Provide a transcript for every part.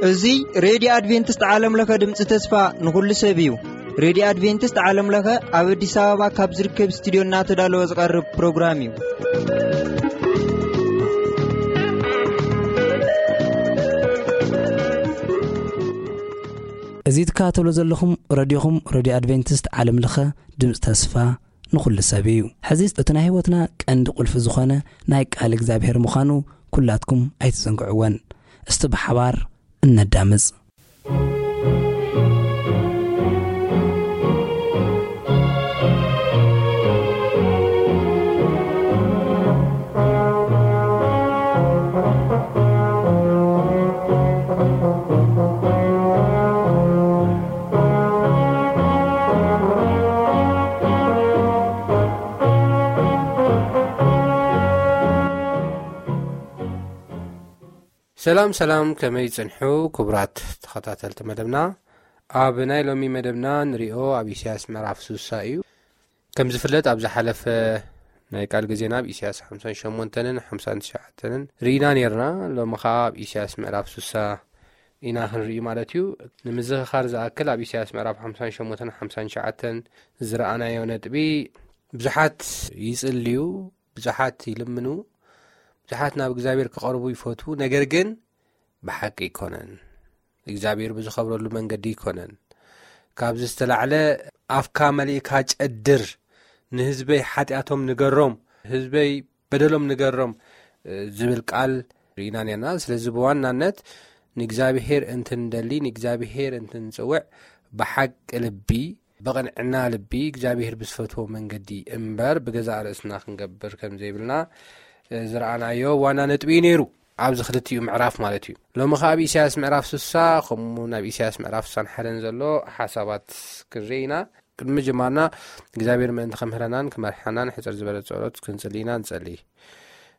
እዚ ሬድዮ ኣድቬንቲስት ዓለም ለኸ ድምፂ ተስፋ ንኹሉ ሰብ እዩ። ሬድዮ ኣድቬንቲስት ዓለም ለኸ ኣብ ኣዲስ ኣበባ ካብ ዝርከብ ስቱዲዮ እናተዳለወ ዝቐርብ ፕሮግራም እዩ። እዚ ትከታተሉ ዘለኹም ረድዮኹም፣ ረድዮ ኣድቬንቲስት ዓለም ለኸ ድምፂ ተስፋ ንኹሉ ሰብ እዩ። ሕዚ እቲ ናይ ህይወትና ቀንዲ ቁልፊ ዝኾነ ናይ ቃል እግዚኣብሔር ምዃኑ ኩላትኩም ኣይትዘንግዕወን። እስቲ ብሓባር እነዳምፅ። ሰላም ሰላም፣ ከመይ ጽንሑ ክቡራት ተኸታተልቲ መደብና? ኣብ ናይ ሎሚ መደብና ንሪኦ ኣብ ኢሳያስ ምዕራፍ ስሳ እዩ። ከም ዝፍለጥ ኣብ ዝሓለፈ ናይ ቃል ግዜና ኣብ ኢሳያስ ሓምሳን ሸሞንተንን ሓምሳን ትሽዓተንን ርኢና ኔርና። ሎሚ ኸኣ ኣብ ኢሳያስ ምዕራፍ ስሳ ኢና ክንርኢ ማለት እዩ። ንምዝኽኻር ዝኣክል ኣብ ኢሳያስ ምዕራፍ ሓምሳን ሸሞንተን ሓምሳን ትሽዓተን ዝረኣናዮ ነጥቢ ብዙሓት ይጽልዩ፣ ብዙሓት ይልምኑ፣ ብዙሓት ናብ እግዚኣብሔር ክቐርቡ ይፈትዉ፣ ነገር ግን ብሓቂ ኣይኮነን። እግዚኣብሔር ብዝኸብረሉ መንገዲ ኣይኮነን። ካብዚ ዝተላዕለ ኣፍካ መሊእካ ጨድር፣ ንህዝበይ ሓጢኣቶም ንገሮም፣ ህዝበይ በደሎም ንገሮም፣ እ፣ ዝብል ቃል ርኢና ኔርና። ስለዚ ብዋናነት ንእግዚኣብሔር እንትንደሊ፣ ንእግዚኣብሔር እንትንጽውዕ ብሓቂ ልቢ፣ ብቕንዕና ልቢ እግዚኣብሔር ብዝፈትዎ መንገዲ እምበር ብገዛእ ርእስና ክንገብር ከም ዘይብልና፣ እ፣ ዝረኣናዮ ዋና ነጥቢ እዩ ነይሩ። ኣብዚ ክልቲኡ ምዕራፍ ማለት እዩ። ሎሚ ኸኣ ኣብ ኢሳያስ ምዕራፍ ስሳ ከምኡ እውን ኣብ ኢሳያስ ምዕራፍ ስሳን ሓደን ዘሎ ሓሳባት ክንርኢ ኢና። ቅድሚ ምጅማርና እግዚኣብሔር ምእንቲ ከምህረናን ክመርሓናን ሕጽር ዝበለ ጸሎት ክንጽሊ ኢና። ንጸሊ።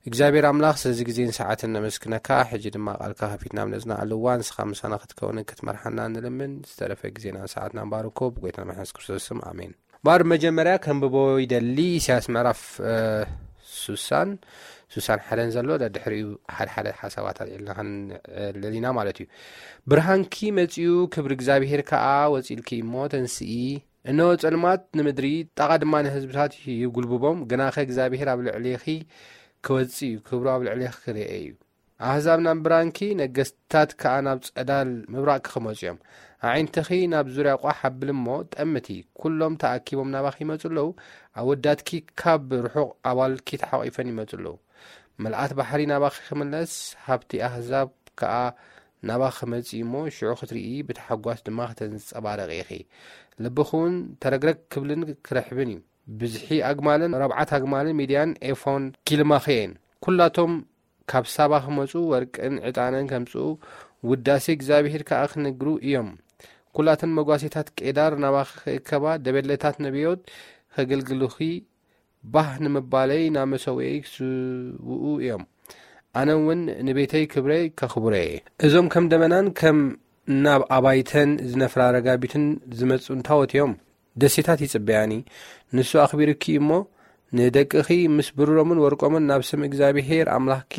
እግዚኣብሔር ኣምላኽ ስለዚ ግዜን ሰዓትን ነመስግነካ። ሕጂ ድማ ቃልካ ከፊትና ኣብ ነጽናዓሉ እዋን ንስኻ ምሳና ክትከውንን ክትመርሓና ንልምን። ዝተረፈ ግዜናን ሰዓትናን ባርኮ ብጎይታና መድሓኒ የሱስ ክርስቶስ ስም ኣሜን። ባር መጀመርያ ከንብቦ ይደሊ። ኢሳያስ ምዕራፍ፣ እ፣ ስሳን፣ ስሳን ሓደን ዘሎ፣ ደድሕሪኡ ሓደ ሓደ ሓሳባት ኣልዒልና ክንልል ኢና ማለት እዩ። ብርሃንኪ መጺኡ፣ ክብሪ እግዚኣብሔር ከኣ ወጺእልኪ እሞ ተንስኢ። እነሆ ጸልማት ንምድሪ፣ ጣቓ ድማ ንህዝብታት ይጉልብቦም፣ ግናኸ እግዚኣብሔር ኣብ ልዕሌኺ ክወጽእ እዩ፣ ክብሩ ኣብ ልዕሌኺ ክርኤ እዩ። ኣህዛብ ናብ ብርሃንኪ፣ ነገስታት ከኣ ናብ ጸዳል ምብራቕኪ ክመጹ እዮም። ኣዒንትኺ ናብ ዙርያ ቋሕ ኣብሊ እሞ ጠምቲ። ኩሎም ተኣኪቦም ናባኺ ይመጹ ኣለዉ፣ ኣወዳትኪ ካብ ርሑቕ ኣባልኪ ተሓቒፈን ይመጹ ኣለዉ። ምልኣት ባሕሪ ናባኺ ክምለስ፣ ሃብቲ ኣህዛብ ከኣ ናባኺ ክመጽእ እሞ፣ ሽዑ ክትርኢ፣ ብታሕጓስ ድማ ከተንጸባረቒ ኢኺ። ልብኺ እውን ተረግረግ ክብልን ክርሕብን እዩ። ብዝሒ ኣግማልን ረብዓት ኣግማልን ሚድያን ኤፎን ኪልማኺ እየን። ኩላቶም ካብ ሳባ ክመጹ፣ ወርቅን ዕጣንን ከምጽኡ፣ ውዳሴ እግዚኣብሄር ከኣ ክነግሩ እዮም። ኩላተን መጓሴታት ቄዳር ናባኺ ክእከባ፣ ደበሌታት ነቢዮት ከገልግሉኺ፣ ባህ ንምባለይ ናብ መሰውእየይ ክስውኡ እዮም። ኣነ እውን ንቤተይ ክብረይ ከኽብሮ እየ። እዞም ከም ደበናን ከም ናብ ኣባይተን ዝነፍራ ረጋቢትን ዝመጹ እንታወት እዮም። ደሴታት ይጽበያኒ። ንሱ ኣኽቢሩኪ እሞ፣ ንደቅኺ ምስ ብሩሮምን ወርቆምን ናብ ስም እግዚኣብሄር ኣምላኽኪ፣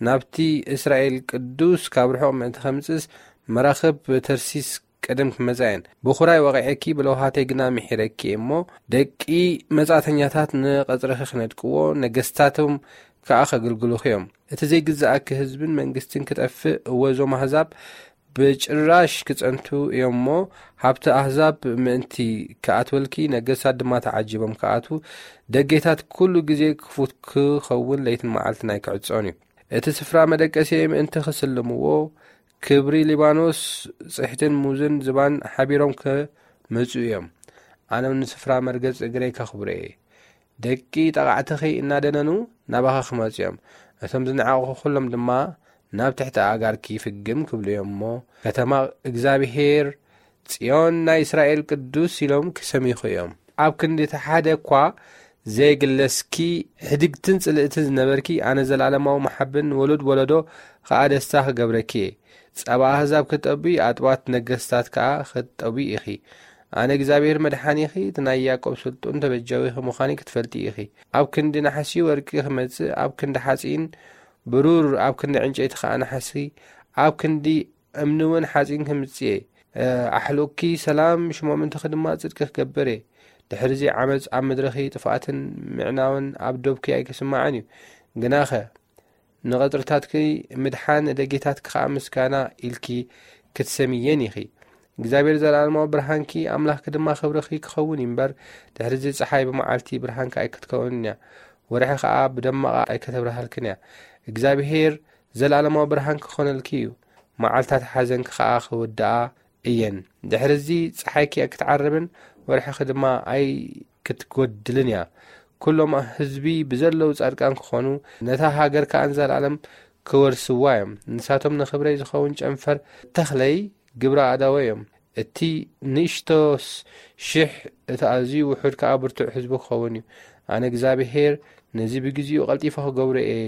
ናብቲ እስራኤል ቅዱስ ካብ ርሑቕ ምእንቲ ከምጽእስ፣ መራኽብ ተርሲስ ቅድም ክመጻ እየን። ብኹራይ ወቒዐኪ፣ ብለውሃተይ ግና ምሒረኪ እየ እሞ፣ ደቂ መጻእተኛታት ንቐጽርኺ ክነድቅዎ፣ ነገስታቶም ከኣ ከገልግሉኺ እዮም። እቲ ዘይግዝኣኪ ህዝብን መንግስትን ክጠፍእ፣ እወ፣ እዞም ኣህዛብ ብጭራሽ ክጸንቱ እዮም እሞ፣ ሃብቲ ኣህዛብ ምእንቲ ክኣትወልኪ፣ ነገስታት ድማ ተዓጂቦም ክኣትዉ፣ ደጌታት ኩሉ ግዜ ክፉት ክኸውን፣ ለይትን መዓልትን ኣይክዕጾን እዩ። እቲ ስፍራ መደቀሲየ ምእንቲ ክስልምዎ፣ ክብሪ ሊባኖስ፣ ጽሕትን ሙዝን ዝባን ሓቢሮም ክመጹ እዮም። ኣነ እውን ንስፍራ መርገጽ እግረይ ከኽብሮ እየ። ደቂ ጠቓዕትኺ እናደነኑ ናባኺ ክመጹ እዮም። እቶም ዝነዓቑኺ ኩሎም ድማ ናብ ትሕቲ ኣእጋርኪ ፍግም ክብሉ እዮም እሞ፣ ከተማ እግዚኣብሄር፣ ጽዮን ናይ እስራኤል ቅዱስ ኢሎም ክሰምዩኺ እዮም። ኣብ ክንዲ እቲ ሓደ እኳ ዘይግለስኪ፣ ሕድግትን ጽልእትን ዝነበርኪ፣ ኣነ ዘለኣለማዊ መሓብን ንወሉድ ወለዶ ኸኣ ደስታ ክገብረኪ እየ። ጸባ ኣህዛብ ክትጠብዪ፣ ኣጥባት ነገስታት ከኣ ክትጠብዪ ኢኺ። ኣነ እግዚኣብሔር መድሓኒኺ፣ እቲ ናይ ያዕቆብ ስልጡን ተበጃዊኺ ምዃኒ ክትፈልጢ ኢኺ። ኣብ ክንዲ ናሕሲ ወርቂ ክመጽእ፣ ኣብ ክንዲ ሓጺን ብሩር፣ ኣብ ክንዲ ዕንጨይቲ ኸኣ ናሕሲ፣ ኣብ ክንዲ እምኒ እውን ሓጺን ክምጽእ እየ። ኣሕሉቕኪ ሰላም፣ ሽሞምንትኺ ድማ ጽድቂ ክገብር እየ። ድሕርዚ ዓመጽ ኣብ ምድርኺ፣ ጥፍኣትን ምዕናውን ኣብ ዶብኪ ኣይክስማዕን እዩ። ግናኸ ንቐጽርታትኪ ምድሓን፣ ንደጌታትኪ ኸኣ ምስጋና ኢልኪ ክትሰምየን ኢኺ። እግዚኣብሔር ዘለኣለማዊ ብርሃንኪ፣ ኣምላኽኪ ድማ ክብርኺ ክኸውን እዩ እምበር፣ ድሕርዚ ጸሓይ ብመዓልቲ ብርሃንኪ ኣይክትከውንን እያ፣ ወርሒ ኸኣ ብደመቓ ኣይከተብርሃልክን እያ። እግዚኣብሔር ዘለኣለማዊ ብርሃንኪ ክኾነልኪ እዩ፣ መዓልታት ሓዘንኪ ኸኣ ክውድኣ እየን። ድሕርዚ ጸሓይኪ ኣይክትዓርብን፣ ወርሕኺ ድማ ኣይክትጎድልን እያ። ኩሎም ህዝቢ ብዘለዉ ጻድቃን ክኾኑ፣ ነታ ሃገር ከኣ ንዘለኣለም ክወርስዋ እዮም። ንሳቶም ንኽብረይ ዝኸውን ጨንፈር ተኽለይ፣ ግብረ ኣእዳወይ እዮም። እቲ ንእሽቶስ ሽሕ፣ እቲ ኣዝዩ ውሑድ ከኣ ብርቱዕ ህዝቢ ክኸውን እዩ። ኣነ እግዚኣብሄር ነዚ ብግዜኡ ቀልጢፈ ክገብሮ እየ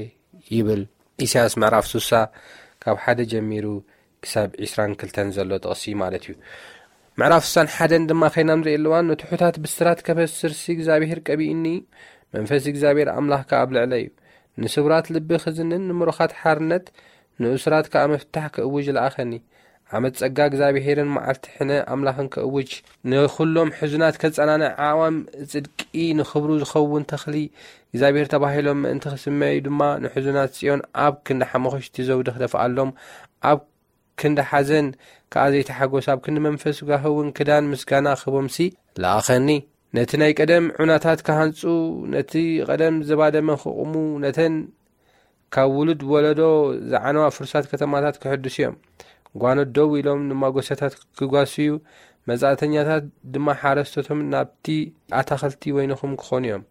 ይብል። ኢሳያስ ምዕራፍ ስሳ ካብ ሓደ ጀሚሩ ክሳብ ዕስራን ክልተን ዘሎ ጥቕሲ ማለት እዩ። ምዕራፍ ስሳን ሓደን ድማ ከይና ንርኢ ኣለዋን፣ ንትሑታት ብስራት ከበስርሲ እግዚኣብሄር ቀቢኡኒ፣ መንፈስ እግዚኣብሄር ኣምላኽ ከኣ ኣብ ልዕለይ እዩ። ንስቡራት ልቢ ክዝንን ንምሩኻት ሓርነት፣ ንእሱራት ከኣ ምፍታሕ ክእውጅ ለኣኸኒ። ዓመት ጸጋ እግዚኣብሄርን መዓልቲ ሕነ ኣምላኽን ክእውጅ፣ ንኹሎም ሕዙናት ከጸናንዕ፣ ኣዕዋም ጽድቂ ንኽብሩ ዝኸውን ተኽሊ እግዚኣብሄር ተባሂሎም ምእንቲ ክስመዩ ድማ፣ ንሕዙናት ጽዮን ኣብ ክንዲ ሓሙኽሽቲ ዘውዲ ክደፍኣሎም፣ ኣብ ክንዲ ሓዘን ከኣ ዘይተሓጎስ፣ ኣብ ክንዲ መንፈስ ጋህውን ክዳን ምስጋና ክህቦምሲ ለኣኸኒ። ነቲ ናይ ቀደም ዑናታት ክሃንጹ፣ ነቲ ቀደም ዝባደመ ክቕሙ፣ ነተን ካብ ውሉድ ወለዶ ዝዓነዋ ፍርሳት ከተማታት ክሕድሱ እዮም። ጓኖት ደው ኢሎም ንማጎሰታት ክጓስዩ፣ መጻእተኛታት ድማ ሓረስቶቶም ናብቲ ኣታኽልቲ ወይንኹም ክኾኑ እዮም።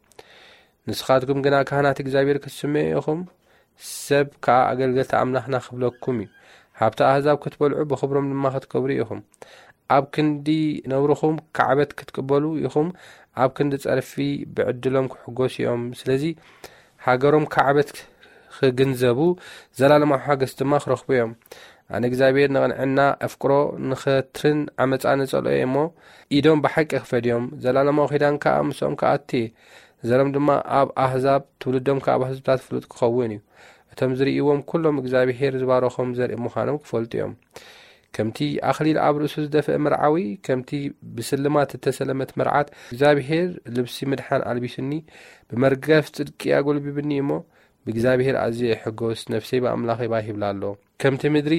ንስኻትኩም ግና ካህናት እግዚኣብሔር ክትስመዩ ኢኹም፣ ሰብ ከኣ ኣገልገልቲ ኣምላኽና ክብለኩም እዩ። ሃብቲ ኣህዛብ ክትበልዑ፣ ብኽብሮም ድማ ክትከብሩ ኢኹም። ኣብ ክንዲ ነውርኹም ካዕበት ክትቅበሉ ኢኹም፣ ኣብ ክንዲ ጸርፊ ብዕድሎም ክሕጎሱ እዮም። ስለዚ ሃገሮም ካዕበት ክግንዘቡ፣ ዘላለማዊ ሓገስ ድማ ክረኽቡ እዮም። ኣነ እግዚኣብሔር ንቕንዕና ኣፍቅሮ፣ ንኸትርን ዓመጻ ንጸልኦ እየ እሞ፣ ኢዶም ብሓቂ ክፈድዮም፣ ዘላለማዊ ኪዳን ከኣ ምስኦም ክኣቱ እየ። ዘሮም ድማ ኣብ ኣህዛብ፣ ትውልዶም ከኣ ኣብ ህዝብታት ፍሉጥ ክኸውን እዩ። እቶም ዝርእይዎም ኩሎም እግዚኣብሔር ዝባረኾም ዘርኢ ምዃኖም ክፈልጡ እዮም። ከምቲ ኣኽሊል ኣብ ርእሱ ዝደፍአ መርዓዊ፣ ከምቲ ብስልማት እተሰለመት መርዓት፣ እግዚኣብሔር ልብሲ ምድሓን ኣልቢሱኒ፣ ብመርገፍ ጽድቂ ኣጎልቢብኒ እሞ፣ ብእግዚኣብሔር ኣዝየ እሕጎስ፣ ነፍሰይ ብኣምላኸይ ባህ ይብላ ኣሎ። ከምቲ ምድሪ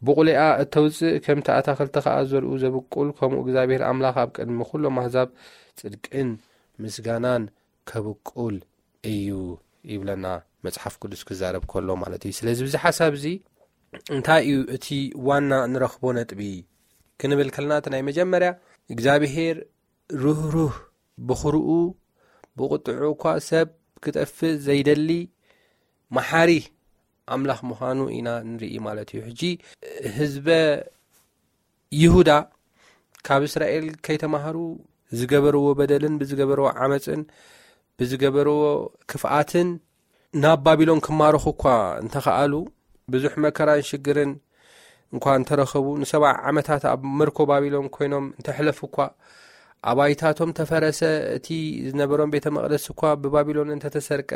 ብቑሊኣ እተውጽእ፣ ከምቲ ኣታኽልቲ ኸኣ ዘርኡ ዘብቁል፣ ከምኡ እግዚኣብሔር ኣምላኽ ኣብ ቅድሚ ኩሎም ኣህዛብ ጽድቅን ምስጋናን ከብቁል እዩ ይብለና መጽሓፍ ቅዱስ ክዛረብ ከሎ ማለት እዩ። ስለዚ ብዚ ሓሳብ እዚ እንታይ እዩ እቲ ዋና ንረኽቦ ነጥቢ ክንብል ከለና፣ እቲ ናይ መጀመርያ እግዚኣብሔር ርህሩህ፣ ብኽርኡ ብቁጥዑ እኳ ሰብ ክጠፍእ ዘይደሊ መሓሪ ኣምላኽ ምዃኑ ኢና ንርኢ ማለት እዩ። ሕጂ ህዝበ ይሁዳ ካብ እስራኤል ከይተማሃሩ ዝገበርዎ በደልን ብዝገበርዎ ዓመፅን ብዝገበርዎ ክፍኣትን ናብ ባቢሎን ክማረኹ እኳ እንተኸኣሉ፣ ብዙሕ መከራን ሽግርን እንኳ እንተረኸቡ፣ ንሰብዓ ዓመታት ኣብ ምርኮ ባቢሎን ኮይኖም እንተሕለፉ እኳ፣ ኣባይታቶም ተፈረሰ፣ እቲ ዝነበሮም ቤተ መቕደስ እኳ ብባቢሎን እንተተሰርቀ፣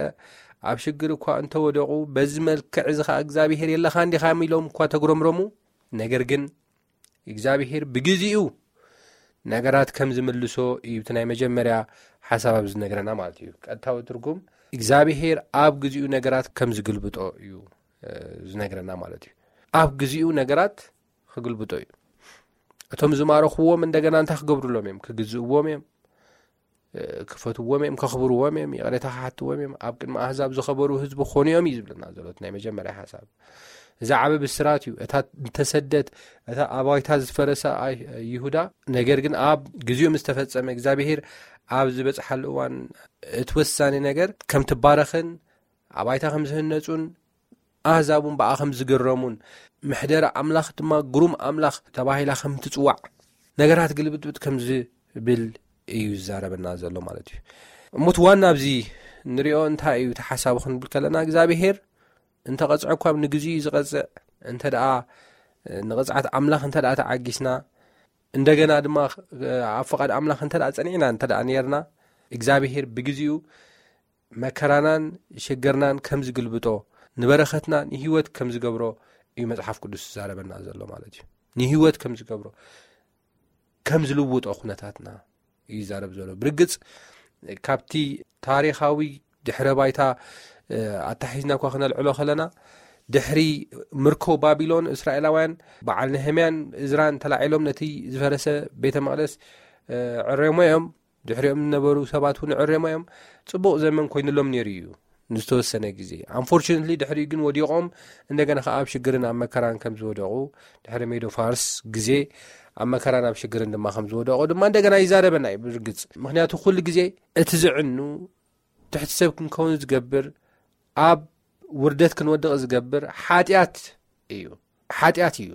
ኣብ ሽግር እኳ እንተወደቑ፣ በዚ መልክዕ እዚ ኸዓ እግዚኣብሔር የለኻን ዲኻ ኢሎም እኳ ተጉረምረሙ፣ ነገር ግን እግዚኣብሔር ብግዜኡ ነገራት ከም ዝምልሶ እዩ እቲ ናይ መጀመርያ ሓሳብ ኣብዚ ዝነግረና ማለት እዩ። ቀጥታዊ ትርጉም እግዚኣብሔር ኣብ ግዜኡ ነገራት ከም ዝግልብጦ እዩ፣ እ፣ ዝነግረና ማለት እዩ። ኣብ ግዜኡ ነገራት ክግልብጦ እዩ። እቶም ዝማረኽዎም እንደገና እንታይ ክገብሩሎም እዮም? ክግዝእዎም እዮም፣ እ፣ ክፈትዎም እዮም፣ ከኽብርዎም እዮም፣ ይቕሬታ ክሓትዎም እዮም፣ ኣብ ቅድሚ ኣህዛብ ዝኸበሩ ህዝቢ ክኾኑ እዮም እዩ ዝብለና ዘሎ እቲ ናይ መጀመርያ ሓሳብ። እዚ ዓቢ ብስራት እዩ። እታ እንተሰደት፣ እታ ኣባይታ ዝፈረሰ ኣይ-፣ ይሁዳ፣ ነገር ግን ኣብ ግዜኡ ምስ ተፈጸመ፣ እግዚኣብሄር ኣብ ዝበጽሓሉ እዋን እቲ ወሳኒ ነገር ከም ትባረኽን ኣባይታ ከም ዝህነጹን ኣህዛብ እውን ብኣ ከም ዝግረሙን፣ ምሕደራ ኣምላኽ ድማ ግሩም ኣምላኽ ተባሂላ ከም ትጽዋዕ፣ ነገራት ግልብጥብጥ ከም ዝብል እዩ ዝዛረበና ዘሎ ማለት እዩ። እሞ እቲ ዋና ኣብዚ ንሪኦ እንታይ እዩ እቲ ሓሳቡ ክንብል ከለና፣ እግዚኣብሄር እንተ ቐጽዐ እኳ ንግዜኡ እዩ ዝቐጽዕ። እንተ ደኣ ንቕጽዓት ኣምላኽ እንተ ደኣ ተዓጊስና፣ እንደገና ድማ ኣብ ፍቓድ ኣምላኽ እንተ ደኣ ጸኒዕና እንተ ደኣ ነርና እግዚኣብሔር ብግዜኡ መከራናን ሽግርናን ከም ዝግልብጦ፣ ንበረኸትና ንህይወት ከም ዝገብሮ እዩ መጽሓፍ ቅዱስ ዝዛረበና ዘሎ ማለት እዩ። ንህይወት ከም ዝገብሮ፣ ከም ዝልውጦ ኩነታትና እዩ ይዛረብ ዘሎ። ብርግጽ ካብቲ ታሪኻዊ ድሕረ ባይታ ኣታሒዝና እኳ ክነልዕሎ ከለና፣ ድሕሪ ምርኮ ባቢሎን እስራኤላውያን በዓል ነህምያን እዝራን ተላዒሎም ነቲ ዝፈረሰ ቤተ መቕደስ ዕሬሞ እዮም። ድሕሪኦም ዝነበሩ ሰባት እውን ዕሬሞ እዮም። ጽቡቕ ዘመን ኮይኑሎም ነይሩ እዩ ንዝተወሰነ ግዜ። ኣንፎርቹነትሊ ድሕሪኡ ግን ወዲቖም እንደገና ከዓ ኣብ ሽግርን ኣብ መከራን ከም ዝወደቑ፣ ድሕሪ ሜዶ ፋርስ ግዜ ኣብ መከራን ኣብ ሽግርን ድማ ከም ዝወደቑ ድማ እንደገና ይዛረበና እዩ። ብርግጽ ምክንያቱ ኩሉ ግዜ እቲ ዝዕኑ ትሕቲ ሰብ ክንከውን ዝገብር፣ ኣብ ውርደት ክንወድቕ ዝገብር ሓጢኣት እዩ። ሓጢኣት እዩ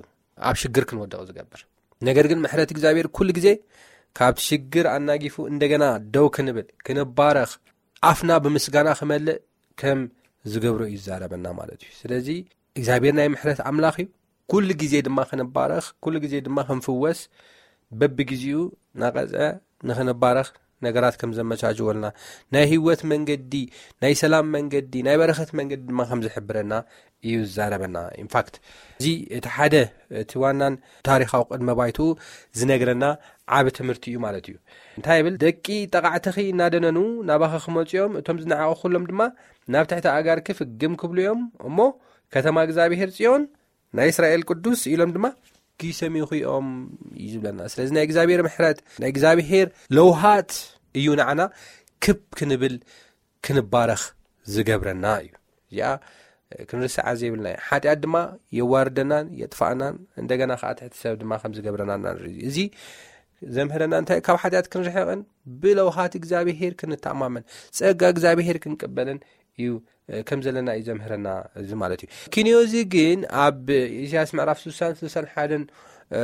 ኣብ ሽግር ክንወድቕ ዝገብር። ነገር ግን ምሕረት እግዚኣብሔር ኩሉ ግዜ ካብቲ ሽግር ኣናጊፉ እንደገና ደው ክንብል፣ ክንባረኽ፣ ኣፍና ብምስጋና ክመልእ ከም ዝገብሮ እዩ ዝዛረበና ማለት እዩ። ስለዚ እግዚኣብሔር ናይ ምሕረት ኣምላኽ እዩ። ኩሉ ግዜ ድማ ክንባረኽ፣ ኩሉ ግዜ ድማ ክንፍወስ፣ በብግዜኡ ናቐጸ ንኽንባረኽ ነገራት ከም ዘመቻችወልና፣ ናይ ህይወት መንገዲ፣ ናይ ሰላም መንገዲ፣ ናይ በረኸት መንገዲ ድማ ከም ዝሕብረና እዩ ዝዛረበና። ኢንፋክት እዚ እቲ ሓደ፣ እቲ ዋናን ታሪኻዊ ቅድመ ባይትኡ ዝነግረና ዓቢ ትምህርቲ እዩ ማለት እዩ። እንታይ ይብል? ደቂ ጠቓዕትኺ እናደነኑ ናባኺ ክመጹ እዮም፣ እቶም ዝነዓቑ ኩሎም ድማ ናብ ትሕቲ ኣእጋርኪ ፍግም ክብሉ እዮም። እሞ ከተማ እግዚኣብሔር ጽዮን ናይ እስራኤል ቅዱስ ኢሎም ድማ ክሰምዩኺ እዮም እዩ ዝብለና። ስለዚ ናይ እግዚኣብሔር ምሕረት፣ ናይ እግዚኣብሔር ለውሃት እዩ ንዓና ክብ ክንብል፣ ክንባረኽ ዝገብረና እዩ። እዚኣ ክንርስዓ ዘይብልና እዩ። ሓጢኣት ድማ የዋርደናን የጥፋእናን፣ እንደገና ከዓ ትሕቲ ሰብ ድማ ከም ዝገብረና ኢና ንርኢ። እዚ ዘምህረና እንታይ? ካብ ሓጢኣት ክንርሕቕን ብለውሃት እግዚኣብሔር ክንተኣማመን፣ ጸጋ እግዚኣብሔር ክንቅበልን እዩ፣ እ፣ ከም ዘለና እዩ ዘምህረና እዚ ማለት እዩ። ክንዮ እዚ ግን ኣብ ኢሳያስ ምዕራፍ ስሳን ስሳን ሓደን፣ እ፣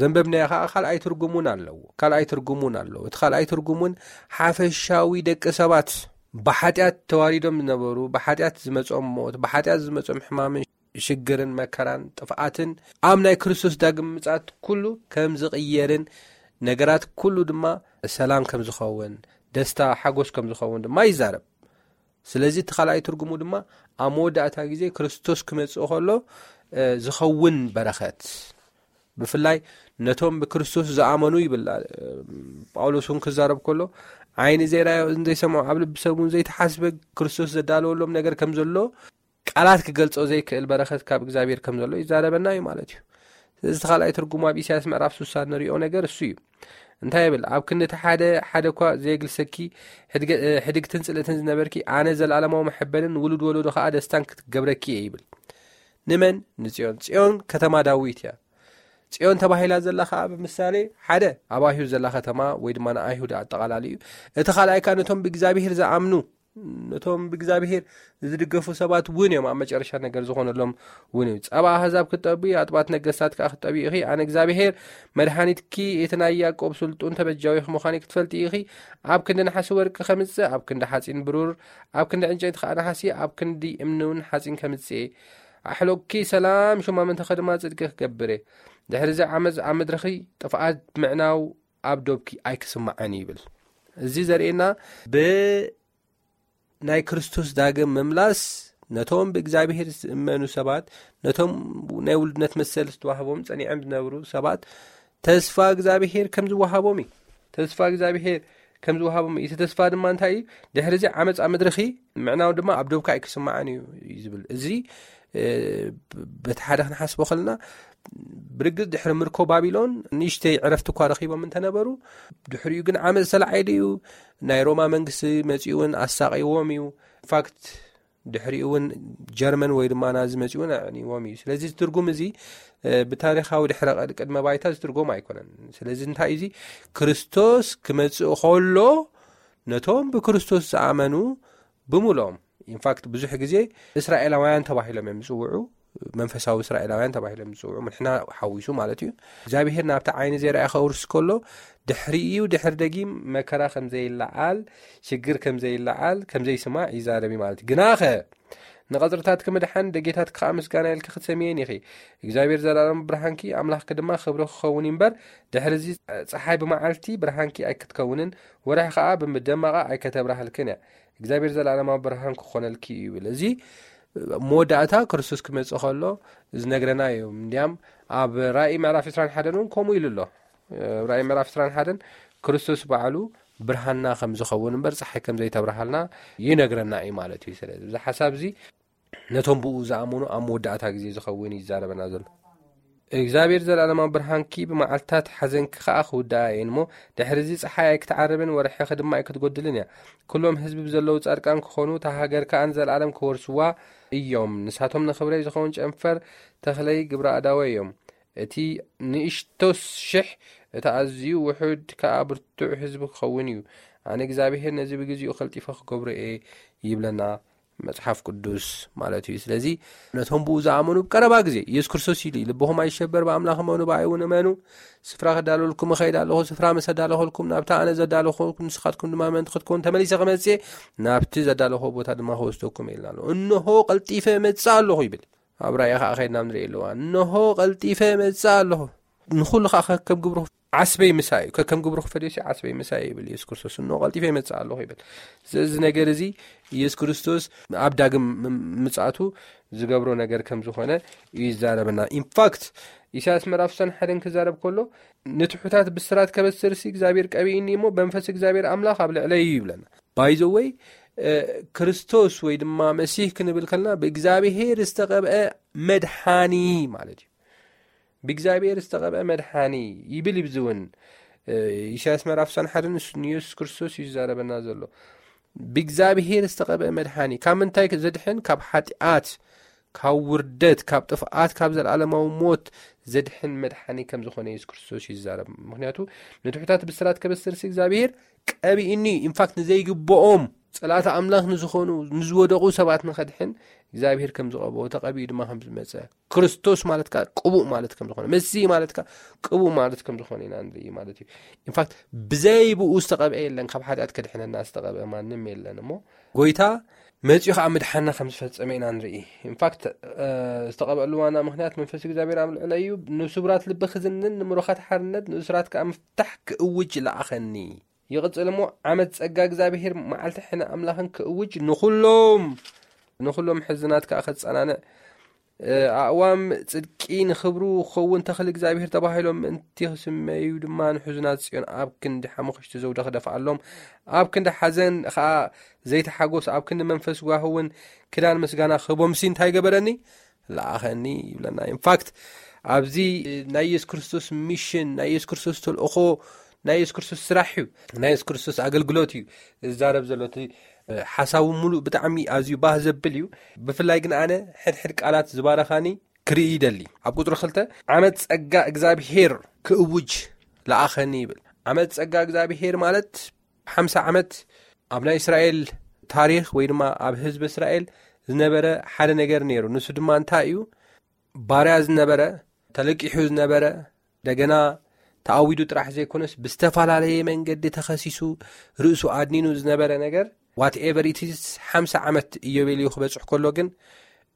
ዘንበብናዮ ከዓ ካልኣይ ትርጉም እውን ኣለዎ። ካልኣይ ትርጉም እውን ኣለዎ። እቲ ካልኣይ ትርጉም እውን ሓፈሻዊ ደቂ ሰባት ብሓጢኣት ተዋሪዶም ዝነበሩ፣ ብሓጢኣት ዝመጾም ሞት፣ ብሓጢኣት ዝመጾም ሕማምን ሽግርን መከራን ጥፍኣትን ኣብ ናይ ክርስቶስ ዳግም ምጽኣት ኩሉ ከም ዝቕየርን ነገራት ኩሉ ድማ ሰላም ከም ዝኸውን፣ ደስታ፣ ሓጎስ ከም ዝኸውን ድማ ይዛረብ። ስለዚ እቲ ካልኣይ ትርጉሙ ድማ ኣብ መወዳእታ ግዜ ክርስቶስ ክመጽእ ከሎ፣ እ፣ ዝኸውን በረኸት፣ ብፍላይ ነቶም ብክርስቶስ ዝኣመኑ ይብል፣ እ፣ ጳውሎስ እውን ክዛረብ ከሎ፣ ዓይኒ ዘይረኣዮ፣ እዝኒ ዘይሰምዖ፣ ኣብ ልቢ ሰብ እውን ዘይተሓስበ ክርስቶስ ዘዳለወሎም ነገር ከም ዘሎ ቃላት ክገልጾ ዘይክእል በረኸት ካብ እግዚኣብሔር ከም ዘሎ ይዛረበና እዩ ማለት እዩ። ስለዚ እቲ ካልኣይ ትርጉሙ ኣብ ኢሳያስ ምዕራፍ ስሳ ንሪኦ ነገር እሱ እዩ። እንታይ ይብል? ኣብ ክንዲ እቲ ሓደ ሓደ እኳ ዘየግልሰኪ ሕድገ-፣ እ፣ ሕድግትን ጽልእትን ዝነበርኪ፣ ኣነ ዘለኣለማዊ መሐበንን ውሉድ ወለዶ ከኣ ደስታን ክትገብረኪ እየ ይብል። ንመን? ንጽዮን። ጽዮን ከተማ ዳዊት እያ። ጽዮን ተባሂላ ዘላ ከኣ ብምሳሌ ሓደ ኣብ ኣይሁድ ዘላ ከተማ ወይ ድማ ንኣይሁድ ኣጠቓላሊ እዩ። እቲ ካልኣይ ከኣ ነቶም ብእግዚኣብሔር ዝኣምኑ፣ ነቶም ብእግዚኣብሔር ዝድገፉ ሰባት እውን እዮም ኣብ መጨረሻ ነገር ዝኾነሎም እውን እዩ። ጸባ ኣህዛብ ክትጠቢ፣ ኣጥባት ነገስታት ከኣ ክትጠቢ ኢኺ። ኣነ እግዚኣብሔር መድሃኒትኪ፣ እቲ ናይ ያዕቆብ ስልጡን ተበጃዊኺ ምዃነይ ክትፈልጢ ኢኺ። ኣብ ክንዲ ነሓሲ ወርቂ ከምጽእ፣ ኣብ ክንዲ ሓጺን ብሩር፣ ኣብ ክንዲ ዕንጨይቲ ከኣ ነሓሲ፣ ኣብ ክንዲ እምኒ እውን ሓጺን ከምጽእ እየ። ኣሕሎቅኪ ሰላም፣ ሹማምንትኺ ድማ ጽድቂ ክገብር እየ። ድሕሪ እዚ ዓመፅ ኣብ ምድርኺ ጥፍኣት ምዕናው ኣብ ዶብኪ ኣይክስማዕን ይብል። እዚ ዘርእየና ብናይ ክርስቶስ ዳግም ምምላስ ነቶም ብእግዚኣብሔር ዝእመኑ ሰባት፣ ነቶም ናይ ውልድነት መሰል ዝተዋህቦም ጸኒዖም ዝነብሩ ሰባት ተስፋ እግዚኣብሔር ከም ዝወሃቦም እዩ። ተስፋ እግዚኣብሔር ከም ዝወሃቦም እዩ። እቲ ተስፋ ድማ እንታይ እዩ? ድሕሪ እዚ ዓመፅ ኣብ ምድርኺ ምዕናው ድማ ኣብ ዶብካ ኣይክስማዕን እዩ እዩ ዝብል። እዚ፣ እ፣ በቲ ሓደ ክንሓስቦ ከለና፣ ብርግጽ ድሕሪ ምርኮ ባቢሎን ንእሽተይ ዕረፍቲ እኳ ረኺቦም እንተነበሩ፣ ድሕሪኡ ግን ዓመፅ ዝተላዓለ እዩ። ናይ ሮማ መንግስቲ መፂኡ እውን ኣሳቂዎም እዩ። ኢንፋክት ድሕሪኡ እውን ጀርመን ወይ ድማ ናዚ መፂኡ እውን ኣዕንይዎም እዩ። ስለዚ እዚ ትርጉም እዚ፣ እ፣ ብታሪኻዊ ድሕረ ቀ-፣ ቅድመ ባይታ ዝትርጎም ኣይኮነን። ስለዚ እንታይ እዩ እዚ? ክርስቶስ ክመጽእ ከሎ ነቶም ብክርስቶስ ዝኣመኑ ብምልኦም፣ ኢንፋክት ብዙሕ ግዜ እስራኤላውያን ተባሂሎም እዮም ዝጽውዑ፣ መንፈሳዊ እስራኤላውያን ተባሂሎም ዝጽውዑ፣ ንሕና ሓዊሱ ማለት እዩ። እግዚኣብሔር ናብቲ ዓይኒ ዘይረኣየ ከውርስ ከሎ ድሕሪኡ ድሕር ደጊም መከራ ከም ዘይለዓል፣ ሽግር ከም ዘይለዓል፣ ከም ዘይስማዕ ይዛረብ እዩ ማለት እዩ። ግናኸ ንቐጽርታትኪ ምድሓን፣ ደጌታትኪ ኸኣ ምስጋና ኢልኪ ክትሰምየን ኢኺ። እግዚኣብሔር ዘላለማዊ ብርሃንኪ፣ ኣምላኽኪ ድማ ክብሪ ክኸውን እዩ እምበር፣ ድሕሪ እዚ ጸሓይ ብመዓልቲ ብርሃንኪ ኣይክትከውንን፣ ወርሒ ኸኣ ብደመቓ ኣይከተብርሃልክን እያ። እግዚኣብሔር ዘላለማዊ ብርሃን ክኾነልኪ እዩ ይብል። እዚ መወዳእታ ክርስቶስ ክመጽእ ከሎ ዝነግረና እዩ። እንዲያም ኣብ ራእይ ምዕራፍ ዕስራን ሓደን እውን ከምኡ ኢሉ ኣሎ። ራእይ ምዕራፍ ዕስራን ሓደን ክርስቶስ ባዕሉ ብርሃንና ከም ዝኸውን እምበር ጸሓይ ከም ዘይተብርሃልና ይነግረና እዩ ማለት እዩ። ስለዚ እዚ ሓሳብ እዚ ነቶም ብኡ ዝኣመኑ ኣብ መወዳእታ ግዜ ዝኸውን እዩ ዝዛረበና ዘሎ። እግዚኣብሔር ዘላለማዊ ብርሃንኪ ብመዓልትታት ሓዘንኪ ኸኣ ክውድኣ እየን እሞ፣ ድሕሪ እዚ ጸሓይ ኣይክትዓርብን ወርሕኺ ድማ ኣይክትጎድልን እያ። ኩሎም ህዝቢ ብዘለዉ ጻድቃን ክኾኑ፣ እታ ሃገር ከኣ ንዘለኣለም ክወርስዋ እዮም። ንሳቶም ንኽብረይ ዝኸውን ጨንፈር ተኽለይ ግብረ ኣዳወይ እዮም። እቲ ንእሽቶስ ሽሕ፣ እቲ ኣዝዩ ውሑድ ከኣ ብርቱዕ ህዝቢ ክኸውን እዩ። ኣነ እግዚኣብሔር ነዚ ብግዜኡ ቐልጢፈ ክገብሮ እየ ይብለና መጽሓፍ ቅዱስ ማለት እዩ። ስለዚ ነቶም ብኡ ዝኣመኑ ብቀረባ ግዜ፣ ኢየሱስ ክርስቶስ ኢሉ እዩ፣ "ልብኹም ኣይሸበር፣ ብኣምላኽ እመኑ፣ ብኣይ እውን እመኑ። ስፍራ ክዳለወልኩም እኸይድ ኣለኹ። ስፍራ ምስ ኣዳለኹልኩም፣ ናብታ ኣነ ዘዳለኹልኩም ንስኻትኩም ድማ ምእንቲ ክትከውን ተመሊሰ ክመጽእ፣ ናብቲ ዘዳለኹ ቦታ ድማ ክወስደኩም" ኢልና ኣሎ። "እንሆ ቀልጢፈ እመጽእ ኣለኹ" ይብል። ኣብ ራእይ ኸዓ ኸይድና ንርኢ ኣለዋ። "እንሆ ቀልጢፈ እመጽእ ኣለኹ። ንኹሉ ኸዓ ከከም ግብሩ ዓስበይ ምሳይ እዩ። ከከም ግብሩ ክፈልዮ ሲ ዓስበይ ምሳይ እዩ" ይብል ኢየሱስ ክርስቶስ። "እንሆ ቀልጢፈ እመጽእ ኣለኹ" ይብል። እዚ ነገር እዚ ኢየሱስ ክርስቶስ ኣብ ዳግም ም-፣ ምጽኣቱ ዝገብሮ ነገር ከም ዝኾነ እዩ ይዛረበና። ኢንፋክት፣ ኢሳያስ ምዕራፍ ዕስራን ሓደን ክዛረብ ከሎ፣ "ንትሑታት ብስራት ከበስር ሲ እግዚኣብሔር ቀቢእኒ እሞ፣ በመንፈስ እግዚኣብሔር ኣምላኽ ኣብ ልዕለይ እዩ" ይብለና። ባይ ዘ ወይ፣ እ፣ ክርስቶስ ወይ ድማ መሲህ ክንብል ከለና፣ ብእግዚኣብሔር ዝተቐብአ መድሓኒ ማለት እዩ። ብእግዚኣብሔር ዝተቐብአ መድሓኒ ይብል እዩ። እዚ እውን፣ እ፣ ኢሳያስ ምዕራፍ ዕስራን ሓደን ንሱ ንየሱስ ክርስቶስ እዩ ዝዛረበና ዘሎ። ብእግዚኣብሔር ዝተቐብአ መድሓኒ ካብ ምንታይ ዘድሕን? ካብ ሓጢኣት፣ ካብ ውርደት፣ ካብ ጥፍኣት፣ ካብ ዘለኣለማዊ ሞት ዘድሕን መድሓኒ ከም ዝኾነ የሱስ ክርስቶስ እዩ ዝዛረብ። ምኽንያቱ፣ "ንትሑታት ብስራት ከበስር ሲ እግዚኣብሔር ቀቢእኒ እዩ።" ኢንፋክት፣ ንዘይግብኦም፣ ጸላእቲ ኣምላኽ ንዝኾኑ፣ ንዝወደቑ ሰባት ንኸድሕን እግዚኣብሔር ከም ዝቐብኦ፣ ተቐቢኡ ድማ ከም ዝመጸ፣ ክርስቶስ ማለት ከኣ ቅቡእ ማለት ከም ዝኾነ፣ መሲህ ማለት ከኣ ቅቡእ ማለት ከም ዝኾነ ኢና ንርኢ ማለት እዩ። ኢንፋክት፣ ብዘይ ብኡ ዝተቐብአ የለን፣ ካብ ሓጢኣት ከድሕነና ዝተቐብአ ማንም የለን። እሞ ጎይታ መጺኡ ኸዓ ምድሓና ከም ዝፈጸመ ኢና ንርኢ። ኢንፋክት፣ እ፣ ዝተቐብአሉ ዋና ምኽንያት፣ "መንፈስ እግዚኣብሔር ኣብ ልዕለይ እዩ፣ ንስቡራት ልቢ ክዝንን፣ ንምሩኻት ሓርነት፣ ንእሱራት ከኣ ምፍታሕ ክእውጅ ለኣኸኒ" ይቕጽል እሞ፣ "ዓመት ጸጋ እግዚኣብሔር፣ መዓልቲ ሕነ ኣምላኽን ክእውጅ፣ ንኹሎም፣ ንኹሎም ሕዝናት ከኣ ከጸናንዕ፣ እ፣ ኣእዋም ጽድቂ ንኽብሩ ክኸውን፣ ተኽሊ እግዚኣብሔር ተባሂሎም ምእንቲ ክስመዩ ድማ፣ ንሕዙናት ጽዮን ኣብ ክንዲ ሓሙኽሽቲ ዘውዲ ክደፍኣሎም፣ ኣብ ክንዲ ሓዘን ኸኣ ዘይተሓጎስ፣ ኣብ ክንዲ መንፈስ ጓህ እውን ክዳን ምስጋና ክህቦምሲ እንታይ ገበረኒ? ለኣኸኒ" ይብለና። ኢንፋክት፣ ኣብዚ ናይ የሱስ ክርስቶስ ሚሽን፣ ናይ የሱስ ክርስቶስ ተልእኾ፣ ናይ የሱስ ክርስቶስ ስራሕ እዩ፣ ናይ የሱስ ክርስቶስ ኣገልግሎት እዩ ዝዛረብ ዘሎ። እቲ፣ እ፣ ሓሳቡ ሙሉእ ብጣዕሚ ኣዝዩ ባህ ዘብል እዩ። ብፍላይ ግን ኣነ ሕድሕድ ቃላት ዝባረኻኒ ክርኢ ይደሊ። ኣብ ቁጽሪ ክልተ፣ "ዓመት ጸጋ እግዚኣብሄር ክእውጅ ለኣኸኒ" ይብል። ዓመት ጸጋ እግዚኣብሄር ማለት ሓምሳ ዓመት ኣብ ናይ እስራኤል ታሪኽ ወይ ድማ ኣብ ህዝቢ እስራኤል ዝነበረ ሓደ ነገር ነይሩ። ንሱ ድማ እንታይ እዩ? ባርያ ዝነበረ፣ ተለቂሑ ዝነበረ፣ እንደገና ተኣዊዱ ጥራሕ ዘይኮነስ ብዝተፈላለየ መንገዲ ተኸሲሱ ርእሱ ኣድኒኑ ዝነበረ ነገር፣ ዋትኤቨር ኢት ኢዝ፣ ሓምሳ ዓመት ኢዮቤልዩ ክበጽሕ ከሎ ግን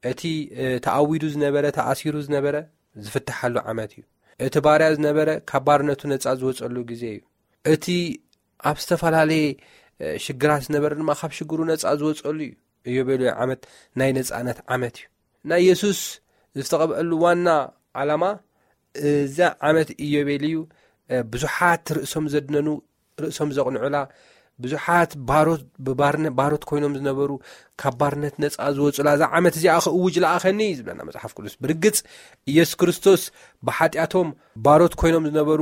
እቲ፣ እ፣ ተኣዊዱ ዝነበረ፣ ተኣሲሩ ዝነበረ ዝፍትሓሉ ዓመት እዩ። እቲ ባርያ ዝነበረ ካብ ባርነቱ ነጻ ዝወጸሉ ግዜ እዩ። እቲ ኣብ ዝተፈላለየ፣ እ፣ ሽግራት ዝነበረ ድማ ካብ ሽግሩ ነጻ ዝወጸሉ እዩ። ኢዮቤልዩ ዓመት ናይ ነጻነት ዓመት እዩ። ናይ የሱስ ዝተቐብአሉ ዋና ዓላማ፣ እዛ ዓመት ኢዮቤልዩ፣ እ፣ ብዙሓት ርእሶም ዘድነኑ፣ ርእሶም ዘቕንዑላ፣ ብዙሓት ባሮት፣ ብባርነ-፣ ባሮት ኮይኖም ዝነበሩ ካብ ባርነት ነጻ ዝወጹላ እዛ ዓመት እዚኣ ክእውጅ ለኣኸኒ እዩ ዝብለና መጽሓፍ ቅዱስ። ብርግጽ፣ ኢየሱስ ክርስቶስ ብሓጢኣቶም ባሮት ኮይኖም ዝነበሩ፣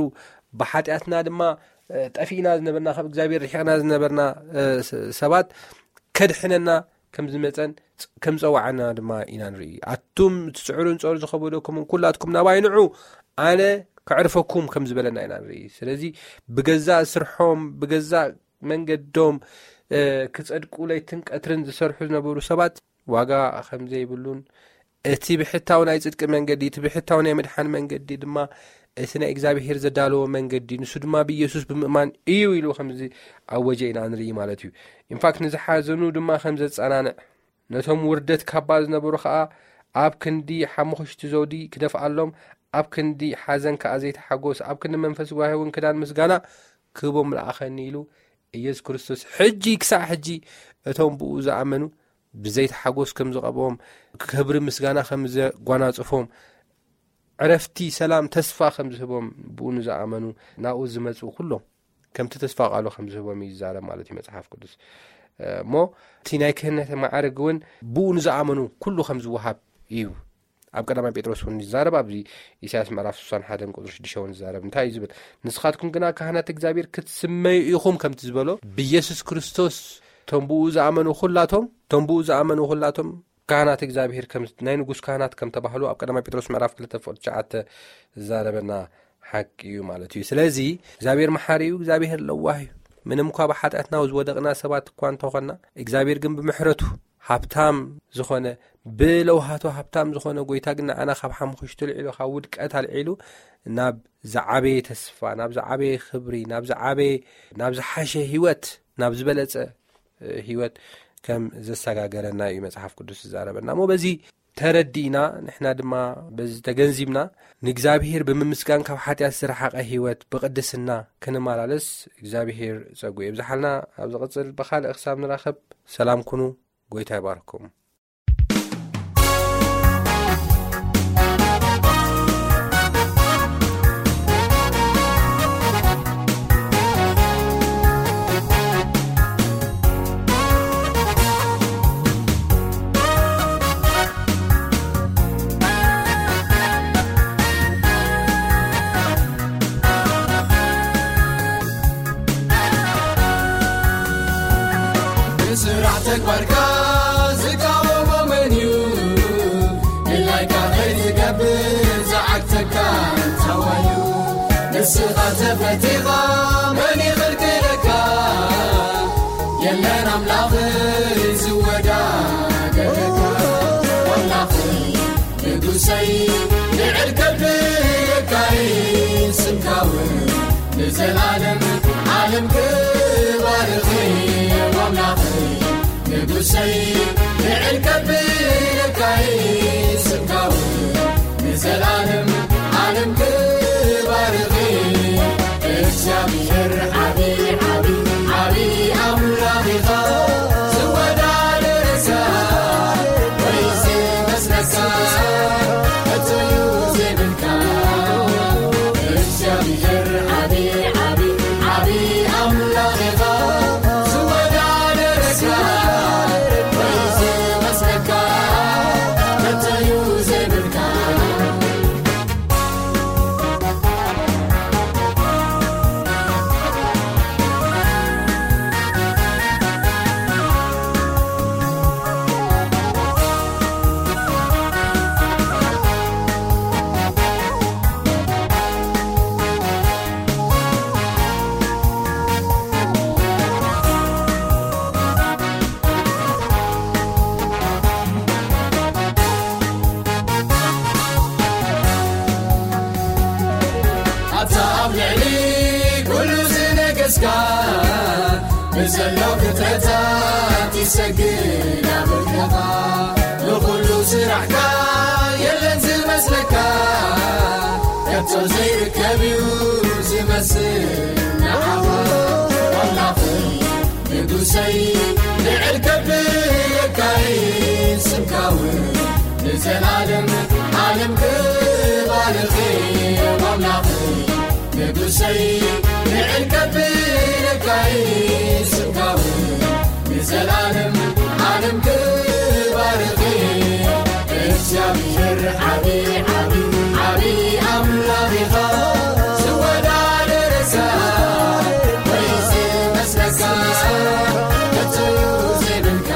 ብሓጢኣትና ድማ፣ እ፣ ጠፊእና ዝነበርና፣ ካብ እግዚኣብሔር ርሒቕና ዝነበርና፣ እ፣ ስ-፣ ሰባት ከድሕነና ከም ዝመጸን ጸ-፣ ከም ጸዋዓና ድማ ኢና ንርኢ። "ኣቱም ትጽዕሩን ጾር ዝኸበደኩምን ኩላትኩም ናባይ ንዑ፣ ኣነ ከዕርፈኩም" ከም ዝበለና ኢና ንርኢ። ስለዚ ብገዛእ ስርሖም፣ ብገዛእ መንገዶም፣ እ፣ ክጸድቁ ለይትን ቀትርን ዝሰርሑ ዝነበሩ ሰባት ዋጋ ከም ዘይብሉን፣ እቲ ብሕታዊ ናይ ጽድቂ መንገዲ፣ እቲ ብሕታዊ ናይ ምድሓን መንገዲ ድማ እቲ ናይ እግዚኣብሄር ዘዳለዎ መንገዲ፣ ንሱ ድማ ብኢየሱስ ብምእማን እዩ ኢሉ ከም ዝኣወጀ ኢና ንርኢ ማለት እዩ። ኢንፋክት፣ ንዝሓዘኑ ድማ ከም ዘጸናንዕ፣ ነቶም ውርደት ካባ ዝነበሩ ኸኣ ኣብ ክንዲ ሓሙኽሽቲ ዘውዲ ክደፍኣሎም፣ ኣብ ክንዲ ሓዘን ከኣ ዘይተሓጎስ፣ ኣብ ክንዲ መንፈስ ጓሂ እውን ክዳን ምስጋና ክህቦም ለኣኸኒ ኢሉ ኢየሱስ ክርስቶስ ሕጂ ክሳዕ ሕጂ እቶም ብኡ ዝኣመኑ ብዘይተሓጎስ ከም ዝቐብኦም፣ ክብሪ ምስጋና ከም ዘጓናጽፎም፣ ዕረፍቲ ሰላም ተስፋ ከም ዝህቦም ብኡ ንዝኣመኑ ናብኡ ዝመጹ ኩሎም ከምቲ ተስፋ ቃሉ ከም ዝህቦም እዩ ዝዛረብ ማለት እዩ መጽሓፍ ቅዱስ። እሞ እቲ ናይ ክህነት ማዕረግ እውን ብኡ ንዝኣመኑ ኩሉ ከም ዝወሃብ እዩ ኣብ ቀዳማይ ጴጥሮስ እውን ይዛረብ። ኣብዚ ኢሳያስ ምዕራፍ ስሳን ሓደን ቁጽሪ ሽዱሽተ እውን ዝዛረብ እንታይ እዩ ዝብል? ንስኻትኩም ግና ካህናት እግዚኣብሔር ክትስመዩ ኢኹም ከምቲ ዝበሎ ብኢየሱስ ክርስቶስ ቶም ብኡ ዝኣመኑ ኩላቶም ቶም ብኡ ዝኣመኑ ኩላቶም ካህናት እግዚኣብሔር ከም ናይ ንጉስ ካህናት ከም ተባህሉ ኣብ ቀዳማይ ጴጥሮስ ምዕራፍ ክልተ ፍቕዲ ትሽዓተ ዝዛረበና ሓቂ እዩ ማለት እዩ። ስለዚ እግዚኣብሔር መሓሪ እዩ፣ እግዚኣብሔር ለዋህ እዩ። ምንም እኳ ብሓጢኣትና ዝወደቕና ሰባት እኳ እንተኾንና እግዚኣብሔር ግን ብምሕረቱ ሃብታም ዝኾነ ብለውሃቱ ሃብታም ዝኾነ ጎይታ ግን ንዓና ካብ ሓሙኽሽቲ ልዒሉ ካብ ውድቀት ኣልዒሉ ናብ ዝዓበየ ተስፋ ናብ ዝዓበየ ክብሪ ናብ ዝዓበየ ናብ ዝሓሸ ህይወት ናብ ዝበለጸ ህይወት ከም ዘሰጋገረና እዩ መጽሓፍ ቅዱስ ዝዛረበና እሞ በዚ ተረዲእና ንሕና ድማ በዚ ተገንዚብና ንእግዚኣብሔር ብምምስጋን ካብ ሓጢኣት ዝረሓቐ ህይወት ብቕድስና ክንመላለስ እግዚኣብሔር ጸጉ የብዝሓልና። ኣብ ዝቕጽል ብኻልእ ክሳብ ንራኸብ ሰላም ኩኑ። ጎይታ ይባርኩም። ብስራሕ ተግባርካ ዝቃወሞ መን እዩ? ድላይካ ከይትገብር ዝዓግተካ እንታዋዩ? ንስኻ ተፈቲኻ መን ይኽልክለካ? የለን ኣምላኽ ዝወዳደረካ። ኣምላኽ ንጉሰይ ልዕል ከብለካ ስምካ እውን ንዘላለም ዓለም ክባርኽ ኣምላኽ ንጉሰይ ልዕል ከብለካ ስምካ እውን ንዘላለም ዓለም ክባርኽ እግዚኣብሔር ዓቢ ዓቢ ዓቢ ኣምላኽ ኢኻ ዝወዳደረካ ወይ ዝመስለካ ከቶ እዩ ዘይብልካ እግዚኣብሔር ዓቢ ዓቢ ዓቢ ኣምላኽ ኢኻ ዝወዳደረካ ወይ ዝመስለካ ከቶ እዩ ዘይብልካ። ኣታ ኣብ ልዕሊ ኩሉ ዝነገስካ ብዘሎ ፍጥረታት ይሰግድ ኣምልኮኻ ንኹሉ ስራሕካ የለን ዝመስለካ ከቶ ዘይርከብ እዩ ዝመስል ንዓኻ ኣምላኽ ንጉሰይ ልዕል ከብለካ ስምካ እውን ንዘላለም ዓለም ክባርኽ ኣምላኽ ንጉሰይ ልዕል ከብለካ ስምካ እውን ንዘላለም ዓለም ክባርኽ እግዚኣብሔር ዓቢ ዓቢ ዓቢ ኣምላኽ ኢኻ ዝወዳደረካ ወይ ዝመስለካ ከቶ ዘይብልካ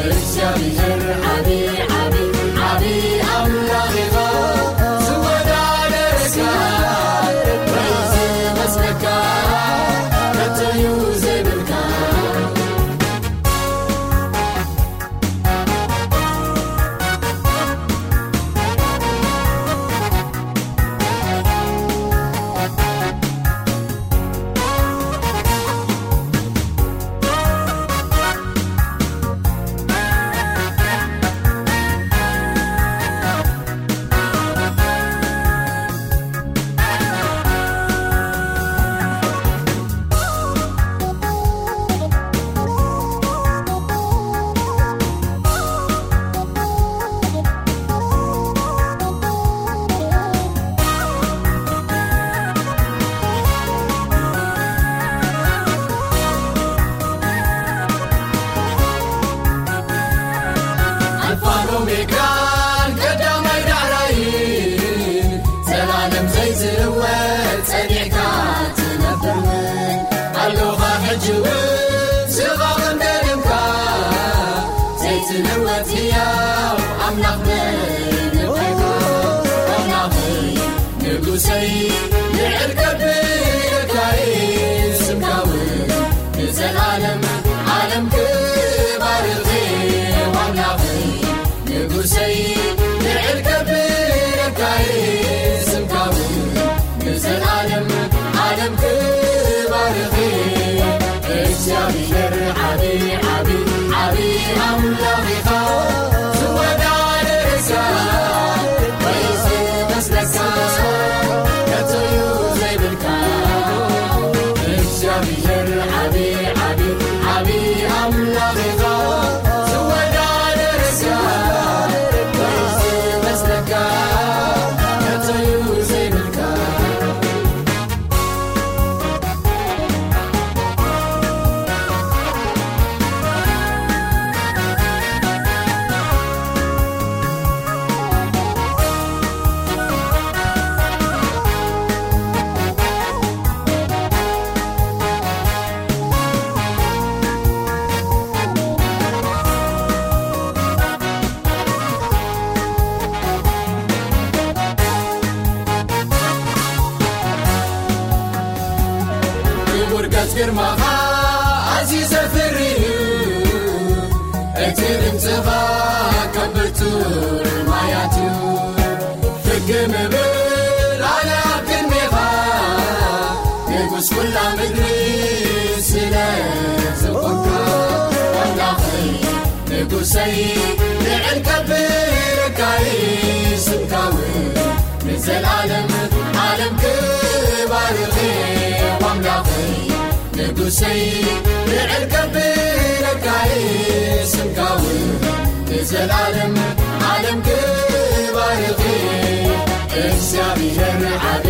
እግዚኣብሔር ዓቢ ዓቢ ዓቢ ኣምላኽ ኢኻ ዝወዳደረካ ወይ ዝመስለካ ከቶ እግዚኣብሔር ዓቢ፣ ዓቢ፣ ዓቢ ኣምላኽ ኢኻ። ዝወዳደረካ ወይ ዝመስለካ ከቶ እዩ ዘይብልካ። እግዚኣብሔር ዓቢ፣ ዓቢ፣ ዓቢ ኣምላኽ ኢኻ። ዝወዳደረካ ወይ ዝመስለካ ከቶ እዩ ዘይብልካ። ክቡር ገጽ ግርማኻ ኣዝዩ ዘፍሪ እዩ፣ እቲ ድምጽኻ ከም ብርቱዕ ማያት እዩ። ፍግ ምብል ኣነ ኣብ ቅድሜኻ፣ ንጉስ ኩላ ምድሪ ስለ ዝኾንካ፣ ኣምላኸይ ንጉሰይ ልዕል ከብረካይ ስምካውን ንዘላለም ዓለም ክባርኽ ኣምላኸይ ንጉሰይ ልዕል ከብረካይ ስምካውን ንዘላለም ዓለም ክባርኽ እግዚኣብሔር ዓቢ